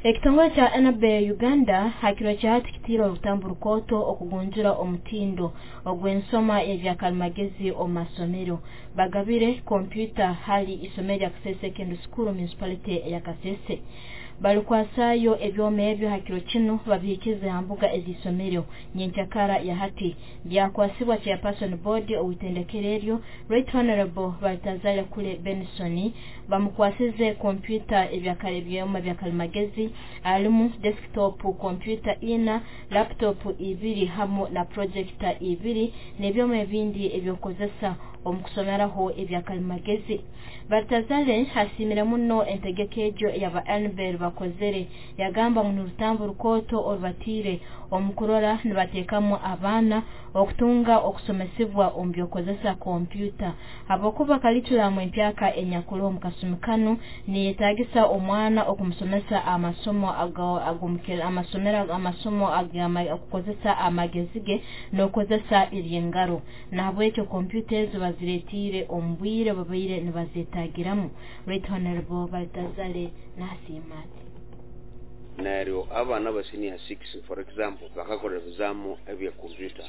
Ekitongole kya Enabel Uganda hakiro kya hati kitiire orutambu rukooto okugunjura omutindo ogw'ensoma y'ebyakalimagezi omu masomero. Bagabire kompyuta hali isomero lya Kasese Secondary School Municipality eya Kasese. Balikwasayo ebyoma ebyo hakiro kinu babihikize ha mbuga ez'isomero nyenkyakara ya hati. Byakwasibwa chairperson board ow'itendekero eryo Right Honorable Baltazar Kule Benson bamukwasize kompyuta ebyoma byakalimagezi alimu desktop kompyuta 4, laptop 2 hamu na projector 2 n'ebyoma ebindi ebyokukozesa omu kusomeraho ebyakalimagezi. Baltazar asiimire muno entegeka egyo eyaba Enabel bakozere, yagamba ngu n'orutambu rukooto orubatiire omu kurora nibateekamu abaana okutunga okusomesibwa omu by'okukozesa kompyuta, habwokuba kalikulamu empyaka enyakuru omu kasumi kanu niyetaagisa omwana okumusomesa amasomo amasomo okukozesa amagezi ge n'okukozesa eby'engaro. Nahabwekyo kompyuta ezo baziretiire omu bwire babaire nibazeetagiramu. Right Honorable Baltazar nasiima ati neryo abaana ba senior 6 for example bakakora ebizamu ebya kompyuta,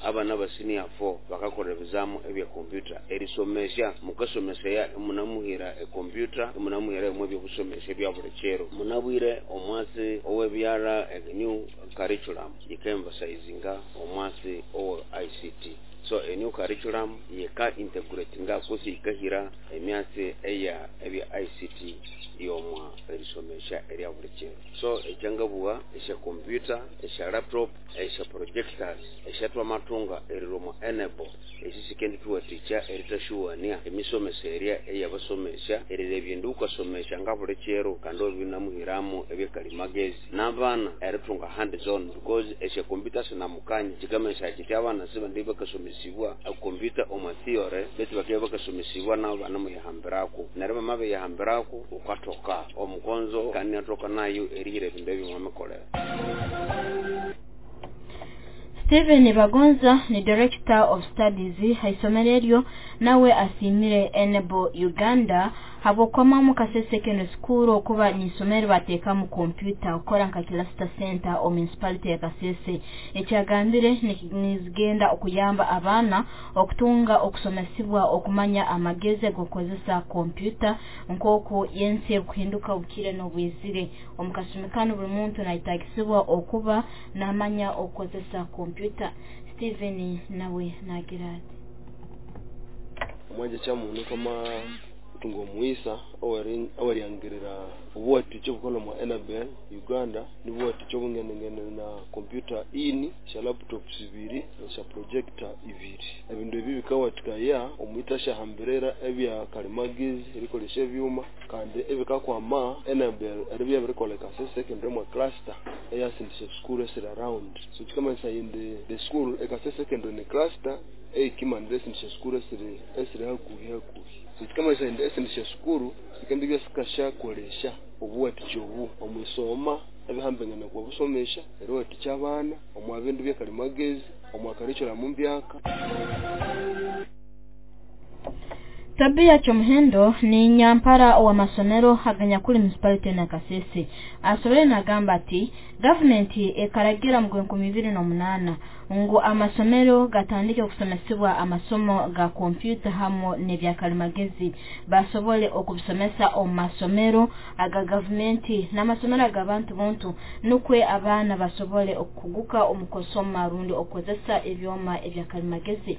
abaana ba senior 4 bakakora ebizamu ebya kompyuta. Erisomesya mukasomesaya munamuhira ekompyuta, munamuhira ebimwe ebyobusomesya ebya buli kiro. Munabwire omwasi owebyara new curriculum yika-emphasizinga omwasi owa ICT. So a new curriculum yika integratinga kusi yikahira emyasi eya ebya ICT yomwa erisomesya erya buli kiro. So ekyangabugha esya kompyuta, esya laptop, esya projectors esyatwamathunga erirwa Enabel esi sikendithuwathikya eritashuwania emisomeserya eyabasomesya erirebya indi wukasomesya nga buli kiro kandi wabinamuhiramu ebyakalimagezi n'abaana erithunga hands on, because esya kompyuta sinamukanya kikamanyisa kiti abaana sibandi bakasomesibwa ekompyuta omu theory betu bakabya bakasomesibwa nabo banemuyihambirako, neryo bamabiyihambirako wukathoka omukonzo kandi inathoka nayo erihira ebindu ebyo mwamikolera. Steven Bagonza ni Director of Studies haisomero eryo, nawe asiimire Enabel Uganda habwokwamamu Kasese Secondary School okuba n'isomero bateekamu kompyuta okukora nka cluster center omu municipality ya Kasese. Ekyagambire nizigenda okuyamba abaana okutunga okusomesibwa okumanya amagezi ag'okukozesa kompyuta nk'oku yensi ekuhinduka obukire n'obwizire. Omu kasumi kanu buli muntu nayetagisibwa okuba namanya okukozesa kompyuta. Steven nawe nagira ati omwanja kya muntu kama tunga omuisa oweryangiririra obuwatikya obukola mwa Enabel Uganda nibuwatikya obungenengene na kompyuta ini, sya laptops 2, sya projector 2. Ebindu ebi bikawatikaya omwita syahambirira ebya kalimagezi erikolesya ebyuma kandi ebikakwama Enabel eribya birikola Kasese Secondary mwa cluster eyasindisya school esiri around. So kikamanyisa indi the school e Kasese Secondary ni cluster eyikimanira esindisya school esiri hakuhi hakuhi. So kikamanyisa indi esindisya sukuru sikendibya sikasyakolesya obuwatikya obu omwisoma ebihambengene kwa busomesya eriwatikya abaana omwa bindu byakalimagezi omwa curriculum mbyaka. Tabia Kyomuhendo ni nyampara wa masomero aganyakuli municipality na Kasese. Asobere nagamba ati gavumenti ekaragira mu 2008 ngu amasomero gatandike okusomesibwa amasomo ga kompyuta hamu n'ebyakalimagezi basobole okubisomesa omu masomero aga gavumenti n'amasomero ag'abantu buntu, nukwe abaana basobole okukuguka omu kusoma rundi okukozesa ebyoma ebyakalimagezi.